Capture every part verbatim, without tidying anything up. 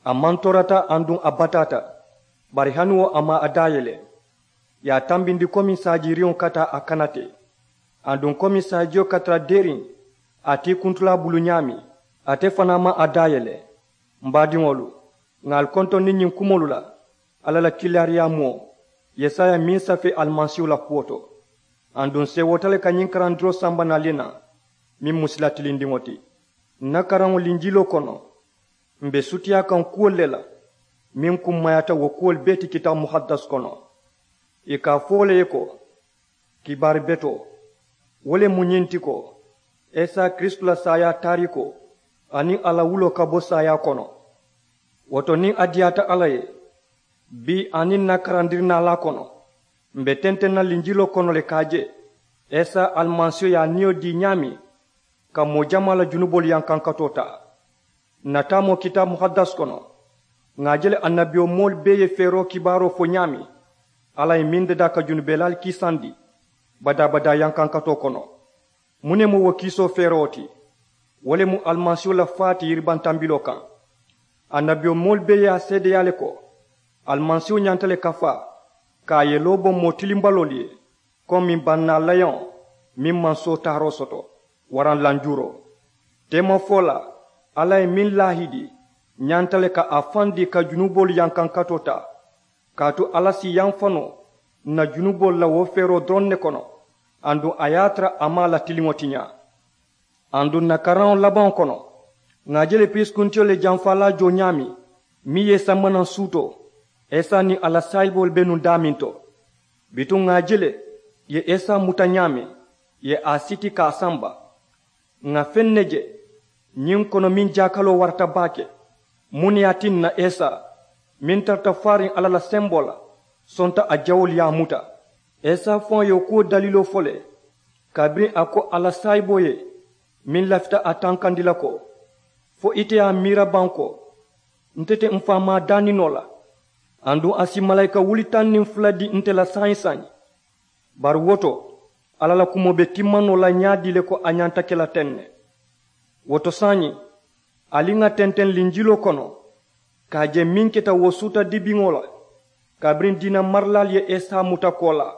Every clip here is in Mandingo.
A mantorata aduŋ a bataata. Bari hani wo a maŋ a daayele. Ì ye a tambindi komi saajiiriŋo ka taa a kanate. Aduŋ komi saajiyo ka tara deeriŋ a tiikuntulaa bulu ñaameŋ, ate fanaa maŋ a daayele. M baadiŋolu, ŋà ali kontondi ñiŋ kumoolu la alla la kiilaariyaa moo yesaya meŋ safee alimasiihu la kuwo to. Aduŋ seewoota le ka ñiŋ karandiroo samba naŋ ali ye naa, meŋ mu sila tilindiŋo ti. N na karaŋo linjiloo kono, m̀ be sutiyaa kaŋ kuwolu le la meŋ kummayaata wo kuwolu bee ti kitaabu muhaddasi kono. Ì ka a fo wo le ye ko, kibaari betoo wo le mu ñiŋ ti ko, isa kiristu la saayaa taariikoo aniŋ a la wuloo ka bo saayaa kono. Wo to niŋ a diyaata alla ye, bii aniŋ n na karandiri naalaa kono, m̀ be tenteŋ na linjiloo kono le ka a je isa alimasiihu ye a niyo dii ñaameŋ ka moo jamaa la junuboolu yankankatoo taa. N na taamoo kitaabu muhaddasi kono, ŋà a je le annabiyomoolu bee ye feeroo kibaaroo fo ñaameŋ alla ye meŋ dadaa ka junubelaalu kiisandi badaa-badaa yankankatoo kono. Muŋ ne mu wo kiisoo feeroo ti? Wo le mu alimasiihu la faa ti yiribantambiloo kaŋ. Annabiyomoolu bee ye a seedeyaa le ko alimasiihu ñanta le ka faa ka a yeloo bo moo tilimbaloolu ye, komi bannaa layoŋo meŋ maŋ sootaaroo soto waraŋ lanjuuroo. Teemafolaa alla ye meŋ laahidi ñanta le ka a faŋ dii ka junuboolu yankankatoo taa, kaatu alla si yamfa noo n na junuboolu la wo feeroo doroŋ ne kono. Aduŋ a ye a tara a maŋ a la tiliŋo tiñaa. Aduŋ n na karaŋo labaŋo kono, ŋà a je le piriisikuntiyo le jamfaalaa joo ñaameŋ meŋ ye i samba naŋ suutoo, isa niŋ a la saayiboolu be nuŋ daameŋ to. Bituŋ ŋà a je le ì ye isa muta ñaameŋ, ì ye a siti ka a samba. Ŋà feŋ ne je ñiŋ kono meŋ jaakaloo warata baake. Muŋ ne ye a tinna isa meŋ tarata faariŋ alla la semboo la sonta a jawoolu ye a muta? Isa faŋo ye wo kuwo daliiloo fo le, kabiriŋ a ko a la saayiboo ye meŋ lafita a tankandi la ko, fo ite ye a miira baŋ ko nte te m faamaa daani noo la, aduŋ a si malaayika wuli taŋ niŋ fula dii nte la saayiŋ-saayiŋ. Bari wo to, alla la kumoo be timma noo la ñaadii le ko a ñanta ke la teŋ ne. Wo to saayiŋ, ali ŋà tenteŋ linjiloo kono ka a je meŋ keta wo suuta dibiŋo la, kabiriŋ diina marilaalu ye isa muta koolaa.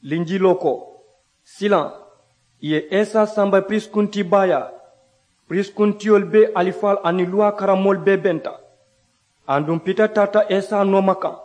Linjiloo ko, silaŋ ì ye isa samba piriisikuntii baayaa, piriisikuntiyolu bee alifaalu aniŋ luwaa karamoolu bee benta. Aduŋ pita taata isa nooma kaŋ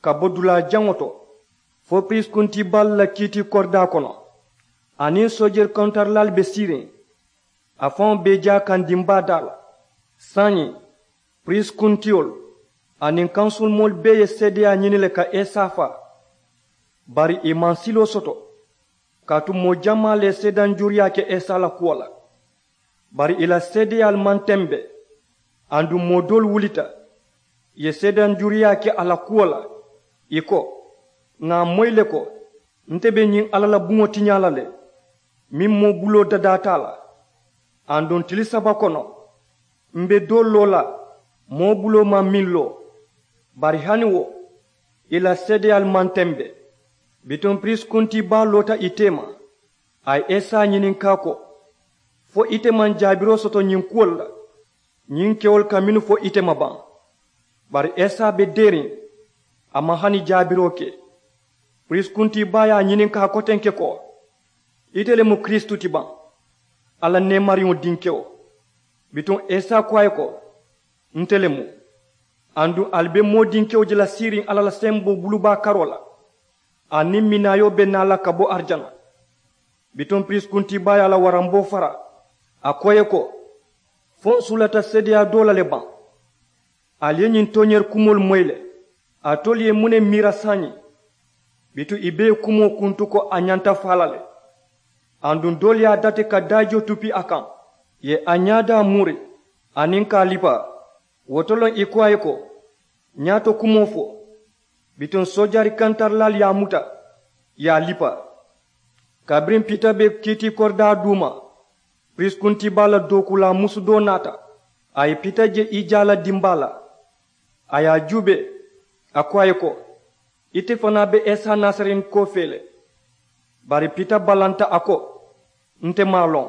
ka bo dulaa jaŋo to fo piriisikuntii baalu la kiitii koridaa kono, aniŋ soojeeri kontarilaalu be siiriŋ a faŋo be i jaa kaŋ dimbaa daa la. Saayiŋ, piriisikuntiyolu aniŋ kansurumoolu bee ye seedeyaa ñini le ka isa faa. Bari ì maŋ siloo soto, kaatu moo jamaa le ye seedanjuruyaa ke isa la kuwo la. Bari ì la seedeyaalu maŋ tembe. Aduŋ moo doolu wulita, ì ye seedanjuruyaa ke a la kuwo la, ì ko, ŋà a moyi le ko nte be ñiŋ alla la buŋo tiñaa la le, meŋ moo buloo dadaata a la. Aduŋ tili saba kono, m be doo loo la moo buloo maŋ meŋ loo. Bari hani wo, ì la seedeyaalu maŋ tembe. Bituŋ piriisikuntii baa loota ì teema, a ye isa ñininkaa ko, fo ite maŋ jaabiroo soto ñiŋ kuwolu la? Ñiŋ kewolu ka mennu fo ite ma baŋ? Bari isa be deeriŋ, a maŋ hani jaabiroo ke. Piriisikuntii baa ye a ñininkaa kotenke ko, ite le mu kiristu ti baŋ, alla neemariŋo dinkewo? Bituŋ isa ko a ye ko, nte le mu. Aduŋ ali be moo dinkewo je la siiriŋ alla la semboo bulubaa karoo la, aniŋ minaayoo be naa la ka bo arijana. Bituŋ piriisikuntii baa ye a la waramboo fara, a ko ì ye ko, fo ǹ suulata seedeyaa doo la le baŋ? Ali ye ñiŋ tooñeeri kumoolu moyi le. Alitolu ye muŋ ne miira saayiŋ? Bituŋ ì bee ye kumoo kuntu ko a ñanta faa la le. Aduŋ doolu ye a dati ka daajiyo tupi a kaŋ, ì ye a ñaadaa muuri, aniŋ ka a lipaa. Wo to loŋ ì ko a ye ko, ñaato kumoo fo. Bituŋ soojaari kantarilaalu ye a muta, ì ye a lipaa. Kabiriŋ pita be kiitii koridaa duuma, piriisikuntii baa la dookuulaa musu doo naata. A ye pita je ijaa la dimbaa la, a ye a juubee, a ko a ye ko, ite fanaa be isa nasareenikoo fee le? Bari pita balanta a ko, nte maŋ a loŋ.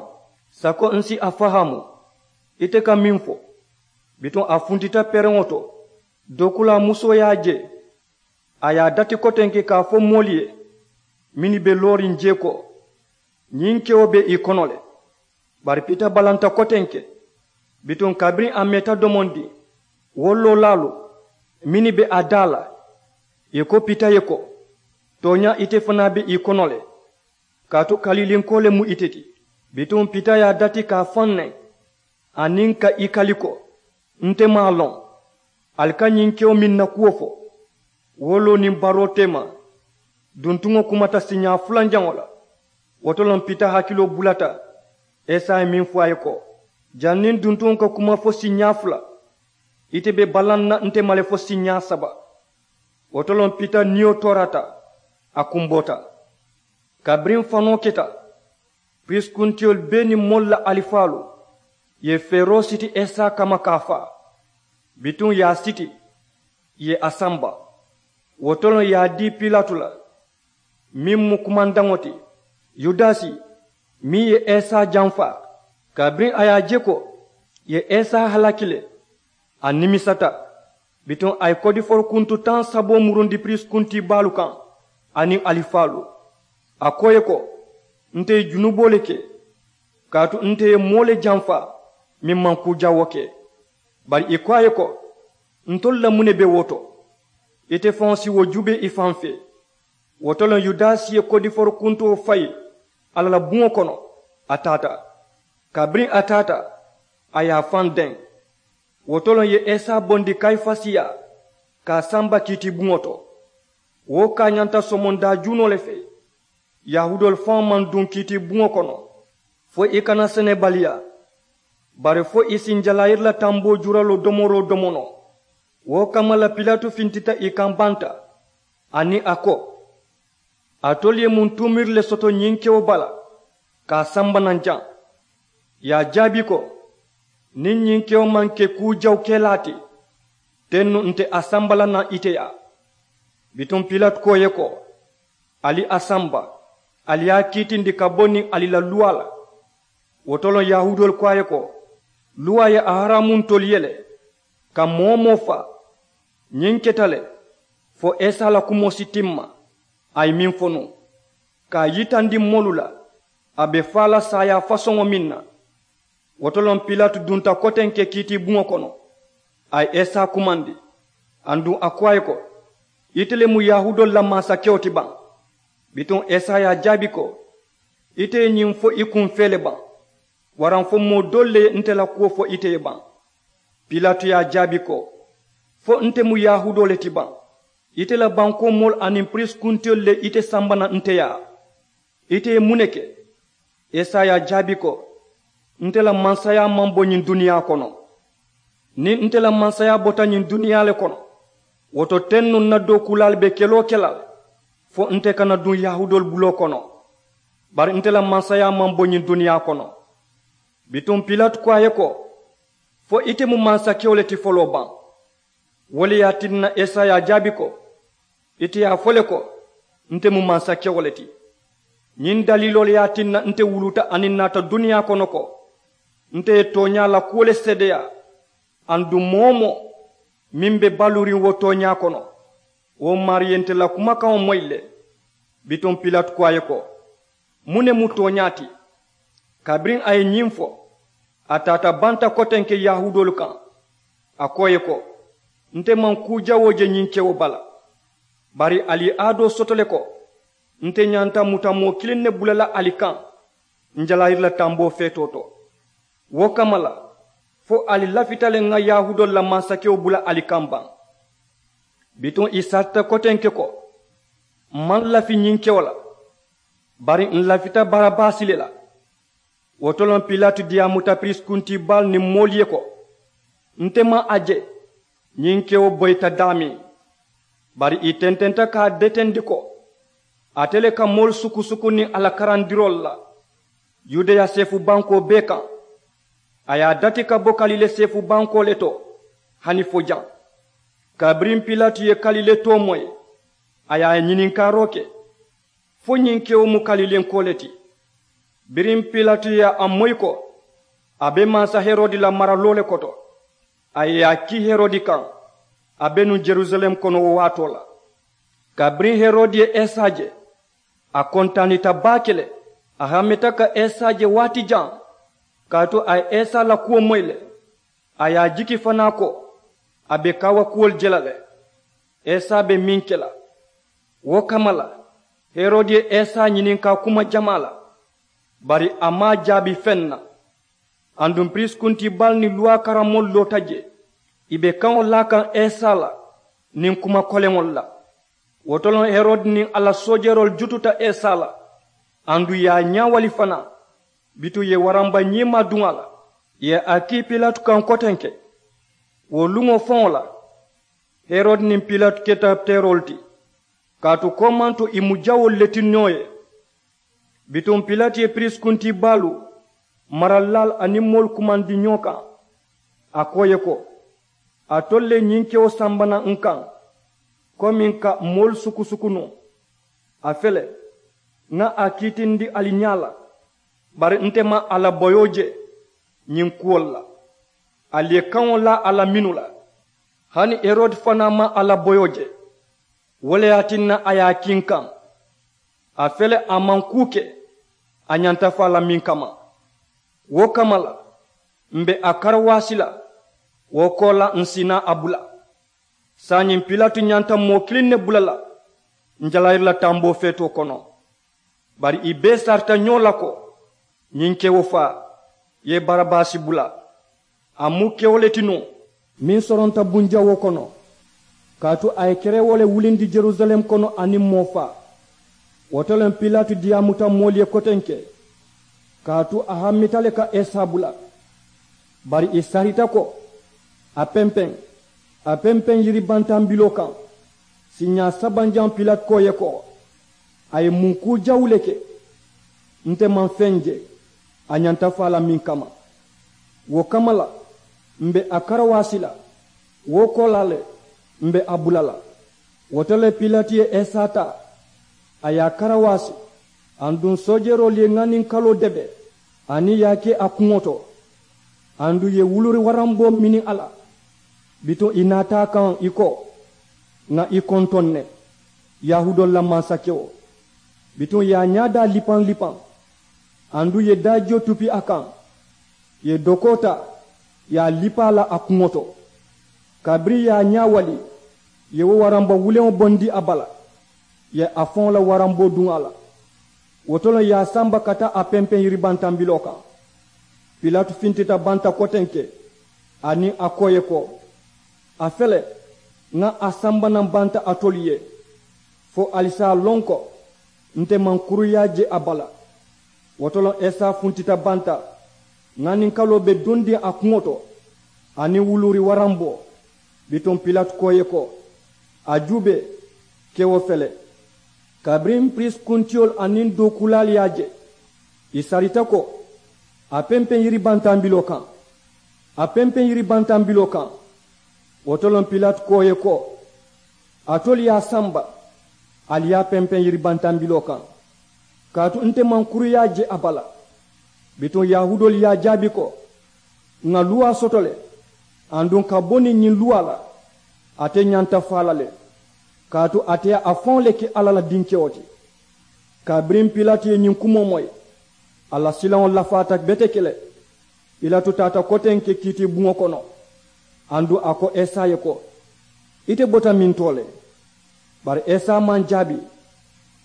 Sako ǹ si a fahaamu ite ka meŋ fo. Bituŋ a funtita pereŋo to. Dookulaa musoo ye a je, a ye a dati kotenke ka a fo moolu ye mennu be looriŋ jee ko, ñiŋ kewo be ì kono le. Bari pita balanta kotenke. Bituŋ kabiriŋ a meeta domondiŋ, wo loolaalu mennu be a daa la, ì ko pita ye ko, tooñaa ite fanaa be ì kono le, kaatu kalilinkoo le mu ite ti. Bituŋ pita ye a dati ka a faŋ neŋ, aniŋ ka ì kali ko, nte maŋ a loŋ. Ali ka ñiŋ kewo meŋ na kuwo fo, wo loo niŋ baroo teema. Duntuŋo kumata siiñaa fulanjaŋo la. Wo to loŋ pita hakiloo bulata. Esa ye meŋ fo a ye ko, janniŋ duntuŋo ka kuma fo siiñaa fula, ite be balaŋ na nte ma le fo siiñaa saba. Wo to loŋ pita niyo toorata, a kumboota. Kabiriŋ fanoo keta, piriisi kuntiyolu bee niŋ moolu la alifaalu ye feeroo siti esa kamma ka a faa. Bituŋ ì ye a siti, ì ye a samba. Wo to loŋ ì ye a dii pilatu la, meŋ mu kumandaŋo ti, yudasi, meŋ ye esa janfa. Kabiriŋ a ye a je ko ì ye esa halaki le, a nimisata. Bituŋ a ye kodiforu kuntu taŋ saboo murundi piriisi kuntii baalu kaŋ, aniŋ alifaalu. A ko ì ye ko, nte ye junuboo le ke, kaatu nte ye moo le janfa meŋ maŋ kuu jawoo ke. Bari ì ko a ye ko, ntolu la muŋ ne be wo to? Ite faŋo si wo juubee i faŋ fee. Wo to loŋ yudasi ye kodiforu kuntuwo fayi alla la buŋo kono, a taata. Kabiriŋ a taata, a ye a faŋ deŋ. Wo to loŋ ì ye esa bondi kayifasi yaa, ka a samba kiitiibuŋo to. Wo kaañanta somondaa juunoo le fee. Yahuudoolu faŋo maŋ duŋ kiitiibuŋo kono, fo i kana senebaliyaa, bari fo i si njalaayiri la tamboo juraloo domoroo domo noo. Wo kamma la pilatu fintita ì kaŋ banta, aniŋ a ko, alitolu ye muŋ tuumiri le soto ñiŋ kewo bala, ka a samba naŋ jaŋ? Ì ye a jaabi ko, niŋ ñiŋ kewo maŋ ke kuu jawukelaa ti, teŋ nuŋ nte a samba la naŋ ite yaa. Bituŋ pilatu ko ì ye ko, ali a samba, ali ye a kiitindi ka bo niŋ ali la luwaa la. Wo to loŋ yahuudoolu ko a ye ko, luwaa ye a haraamu ntolu ye le, ka moo-wo-moo faa. Ñiŋ keta le, fo esa la kumoo si timma, a ye meŋ fo nuŋ, ka a yitandi moolu la, a be faa la saayaa fasoŋo meŋ na. Wo to loŋ pilatu dunta kotenke kiitiibuŋo kono, a ye esa kumandi. Aduŋ a ko a ye ko, ite le mu yahuudoolu la mansakewo ti baŋ? Bituŋ esa ye a jaabi ko, ite ye ñiŋ fo i kuŋ fee le baŋ? Waraŋ fo moo doolu le ye nte la kuwo fo ite ye baŋ? Pilatu ye a jaabi ko, fo nte mu yahuudoo le ti baŋ? Ite la bankoo moolu aniŋ piriisi kuntiyolu le ite samba naŋ nte yaa. Ite ye muŋ ne ke? Esa ye a jaabi ko, nte la mansayaa maŋ bo ñiŋ duniyaa kono. Niŋ nte la mansayaa bota ñiŋ duniyaa le kono, wo to teŋ nuŋ ǹ na dookuulaalu be keloo ke la le, fo nte kana duŋ yahuudoolu buloo kono. Bari nte la mansayaa maŋ bo ñiŋ duniyaa kono. Bituŋ pilatu ko a ye ko, fo ite mu mansakewo le ti foloo baŋ? Wo le ye a tinna esa ye a jaabi ko, ite ye a fo le ko, nte mu mansakewo le ti. Ñiŋ daliiloo le ye a tinna nte wuluta aniŋ ǹ naata duniyaa kono ko, nte ye tooñaa la kuwo le seedeyaa. Aduŋ moo-wo-moo meŋ be baluuriŋ wo tooñaa kono, wo maarii ye nte la kumakaŋo moyi le. Bituŋ pilatu ko a ye ko, muŋ ne mu tooñaa ti? Kabiriŋ a ye ñiŋ fo, a taata banta kotenke yahuudoolu kaŋ. A ko ì ye ko, nte maŋ kuu jawoo je ñiŋ kewo bala. Bari ali ye aadoo soto le ko, nte ñanta muta moo kiliŋ ne bula la ali kaŋ njalaayiri la tamboo feetoo to. Wo kamma la, fo ali lafita le ŋà yahuudoolu la mansakewo bula ali kaŋ baŋ? Bituŋ ì sarita kotenke ko, m maŋ lafi ñiŋ kewo la, bari ǹ lafita barabasi le la. Wo to loŋ pilatu diyaamuta piriisi kuntii baalu niŋ moolu ye ko, nte maŋ a je. Ñiŋ kewo boyita daameŋ. Bari ì tententa ka a detendi ko, ate le ka moolu sukusuku niŋ a la karandiroolu la. Yudeya seefu bankoo bee kaŋ. A ye a dati ka bo kalile seefu bankoo le to, hani fo jaŋ. Kabiriŋ pilatu ye kalile too moyi, a ye a ñininkaaroo ke, fo ñiŋ kewo mu kalilenkoo le ti? Biriŋ pilatu ye a moyi ko, a be mansa herodi la maraloo le koto. A ye a kii herodi kaŋ. A be nuŋ jerusalem kono wo waatoo la. Kabiriŋ herodi ye esa je, a kontaanita baake le. A hamita ka esa je waati jaŋ, kaatu a ye esa la kuwo moyi le. A ye a jiki fanaa ko a be kaawakuwolu je la le. Esa be meŋ ke la, wo kamma la herodi ye esa ñininkaa kuma jamaa la. Bari a maŋ a jaabi feŋ na. Aduŋ piriisi kuntii baalu niŋ luwaa karammoolu loota jee, ì be kaŋo laa kaŋ esa la niŋ kuma koleŋolu la. Wo to loŋ herodi niŋ a la soojeroolu jututa esa la. Aduŋ ì ye a ñaawali fanaa. Bituŋ ì ye waranba ñiimaa duŋ a la, ì ye a kii pilatu kaŋ kotenke. Wo luŋo faŋo la herodi niŋ pilatu keta teeroolu ti, kaatu koomanto ì mu jawoolu le ti noo ye. Bituŋ pilati ye piriisi kuntii baalu, maralilaalu aniŋ moolu kumandi ñoo kaŋ. A ko ì ye ko, alitolu le ye ñiŋ kewo samba naŋ n kaŋ, komiŋ ka moolu sukusuku nuŋ. A fele, ŋa a kiitindi ali ñaa la. Bari nte maŋ a la boyoo je ñiŋ kuwolu la. Ali ye kaŋo laa a la mennu la, hani herodi fanaa maŋ a la boyoo je. Wo le ye a tinna a ye a kii n kaŋ. A fele, a maŋ kuu ke a ñanta faa la meŋ kamma. Wo kamma la, m̀ be a karawaasi la. Wo koolaa ǹ si naa a bula. Saayiŋ pilatu ñanta moo kiliŋ ne bula la ǹ jalayiri la tamboo feetoo kono. Bari ì bee sarita ñoo la ko, ñiŋ kewo faa, ì ye barabasi bula. A mu kewo le ti nuŋ, meŋ soronta bunjawoo kono. Kaatu a ye kerewoo le wulindi jerusalem kono aniŋ moo faa. Wo to le pilatu diyaamuta moolu ye kotenke, kaatu a hamita le ka esa bula. Bari ì sarita ko, a pempeŋ, a pempeŋ yiribantambiloo kaŋ. Siiñaa sabanjaŋo pilati ko ì ye ko, a ye muŋ kuu jawu le ke? Nte maŋ feŋ je a ñanta faa la meŋ kamma. Wo kamma la, m̀ be a karawaasi la. Wo koolaa le, m̀ be a bula la. Wo to le pilati ye esa taa, a ye a karawaasi. Aduŋ soojeroolu ye ŋaninkaloo debe, aniŋ ì ye a ke a kuŋo to. Aduŋ ì ye wuluuri waranboo mini a la. Bituŋ ì naata a kaŋ ì ko, ŋà ì kontoŋ ne, yahuudoolu la mansakewo. Bituŋ ì ye a ñaadaa lipaŋ lipaŋ. Aduŋ ì ye daajiyo tupi a kaŋ, ì ye dokoo taa, ì ye a lipa a la a kuŋo to. Kabiriŋ ì ye a ñaawali, ì ye wo waranba wuleŋo bondi a bala, ì ye a faŋo la waranboo duŋ a la. Wo to le ì ye a samba ka taa a pempeŋ yiribantambiloo kaŋ. Pilatu fintita banta kotenke, aniŋ a ko ì ye ko, a fele, ŋa a samba naŋ banta alitolu ye, fo ali si a loŋ ko nte maŋ kuruyaa je a bala. Wo to le esa funtita banta, ŋaninkaloo be dundiŋ a kuŋo to, aniŋ wuluuri waranboo. Bituŋ pilatu ko ì ye ko, a juubee, kewo fele. Kabiriŋ piriisi kuntiyolu aniŋ dookuulaalu ye a je, ì sarita ko, a pempeŋ yiribantambiloo kaŋ, a pempeŋ yiribantambiloo kaŋ. Wo to le pilati ko ì ye ko, alitolu ye a samba, ali ye a pempeŋ yiribantambiloo kaŋ. Kaatu nte maŋ kuruyaa je a bala. Bituŋ yahuudoolu ye a jaabi ko, ŋà luwaa soto le, aduŋ ka bo niŋ ñiŋ luwaa la, ate ñanta faa la le. Kaatu ate ye a faŋo le ke alla la dinkewo ti. Kabiriŋ pilati ye ñiŋ kumoo moyi, a la silaŋo lafaata beteke le. Pilatu taata kotenke kiitiibuŋo kono, aduŋ a ko esa ye ko, ite bota mintoo le? Bari esa maŋ jaabi.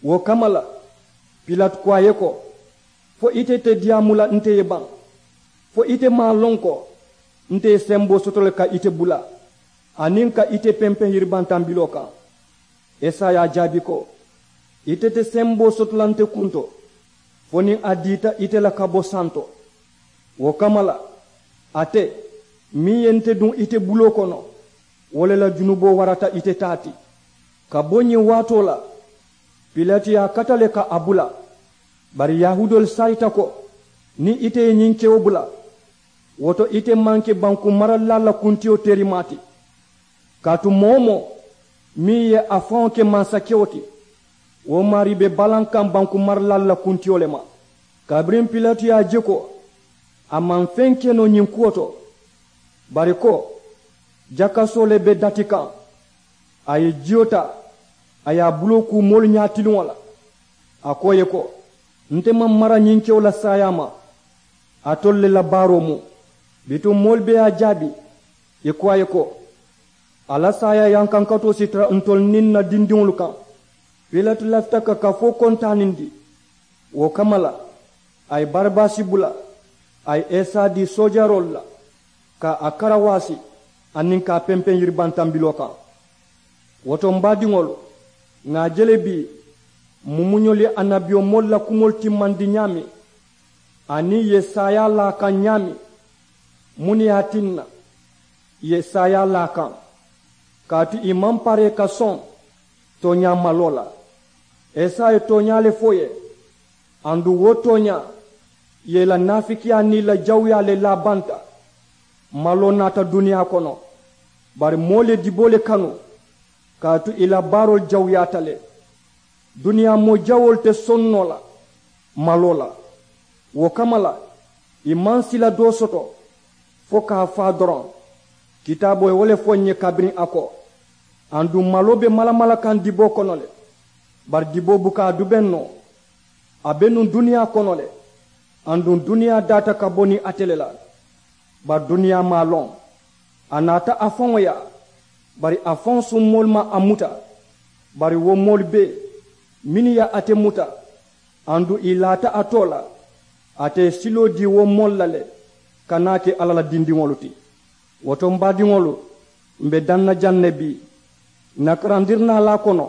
Wo kamma la, pilatu ko a ye ko, fo ite te diyaamu la nte ye baŋ? Fo ite maŋ a loŋ ko nte ye semboo soto le ka ite bula, aniŋ ka ite pempeŋ yiribantambiloo kaŋ? Esa ye a jaabi ko, ite te semboo soto la nte kunto, fo niŋ a diita ite la ka bo santo. Wo kamma la, ate meŋ ye nte duŋ ite buloo kono, wo le la junuboo warata ite taa ti. Ka bo ñiŋ waatoo la, pilati ye a kata le ka a bula. Bari yahuudoolu sarita ko, niŋ ite ye ñiŋ kewo bula, wo to ite maŋ ke banku maralilaalu la kuntiyo teerimaa ti. Kaatu moo-wo-moo meŋ ye a faŋo ke mansakewo ti, wo maarii be balaŋ kaŋ banku maralilaalu la kuntiyo le ma. Kabiriŋ pilati ye a je ko a maŋ feŋ ke noo ñiŋ kuwo to, bari ko Jakasoo le be dati kaŋ. A ye jiyo taa, a ye a buloo kuu moolu ñaatiliŋo la. A ko ì ye ko, nte maŋ mara ñiŋ kewo la saayaa ma. Alitolu le la baaroo mu. Bituŋ moolu bee ye a jaabi, ì ko a ye ko, a la saayaa yankankatoo si tara ntolu niŋ ǹ na dindiŋolu kaŋ. Pilati lafita ka kafoo kontaanindi. Wo kamma la, a ye barabasi bula, a ye isa dii soojaroolu la, ka a karawaasi aniŋ ka a pempeŋ yiribantambiloo kaŋ. Wo to m̀ baadiŋolu, ŋà a je le bii, mumuñolu ye annabiyomoolu la kumoolu timmandi ñaameŋ, aniŋ ì ye saayaa laa a kaŋ ñaameŋ. Muŋ ne ye a tinna ì ye saayaa laa a kaŋ? Kaatu ì maŋ paree ka soŋ tooñaa maloo la. Isa ye tooñaa le fo ì ye. Aduŋ wo tooñaa, ì ye ì la naafikiyaa niŋ ì la jawuyaa le laa banta. Maloo naata duniyaa kono, bari moolu ye diboo le kanu, kaatu ì la baaroolu jawuyaata le. Duniyaa moo jawoolu te soŋ noo la maloo la. Wo kamma la, ì maŋ sila doo soto fo ka a faa doroŋ. Kitaaboo ye wo le fo ǹ ye kabiriŋ a ko, aduŋ maloo be malamala kaŋ diboo kono le. Bari diboo buka a dubeŋ noo. A be nuŋ duniyaa kono le, aduŋ duniyaa daata ka bo niŋ ate le la. Bari duniyaa maŋ a loŋ. A naata a faŋo yaa, bari a faŋo summoolu maŋ a muta. Bari wo moolu bee mennu ye ate muta, aduŋ ì laata a too la, ate ye siloo dii wo moolu la le, ka naa ke alla la dindiŋolu ti. Wo to m̀ baadiŋolu, m̀ be daŋ na jaŋ ne bii. Ǹ na karandirinaalaa kono,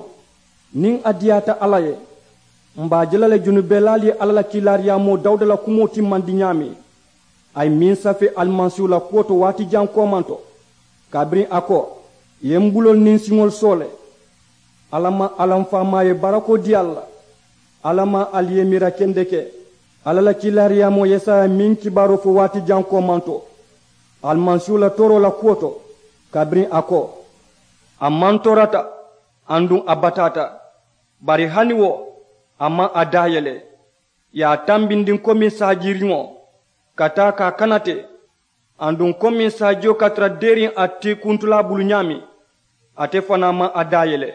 niŋ a diyaata alla ye, m̀ be a je la le junubelaalu ye alla la kiilaariyaamoo dawuda la kumoo timmandi ñaameŋ. A ye meŋ safee alimasiihu la kuwo to waati jaŋ koomanto, kabiriŋ a ko, ì ye m buloolu niŋ n siŋolu soo le. Alla maŋ alla m faamaa ye barakoo dii ali la. Alla maŋ ali ye miira kendeke alla la kiilaariyaamoo yesaya meŋ kibaaroo fo waati jaŋ koomanto, alimasiihu la tooroo la kuwo to, kabiriŋ a ko, a maŋ toorata, aduŋ a bataata. Bari hani wo, a maŋ a daayele. Ì ye a tambindi komi saajiriŋo, ka taa ka a kanate, aduŋ komi saajiyo ka tara deeriŋ a tiikuntulaa bulu ñaameŋ, ate fanaa maŋ a daayele.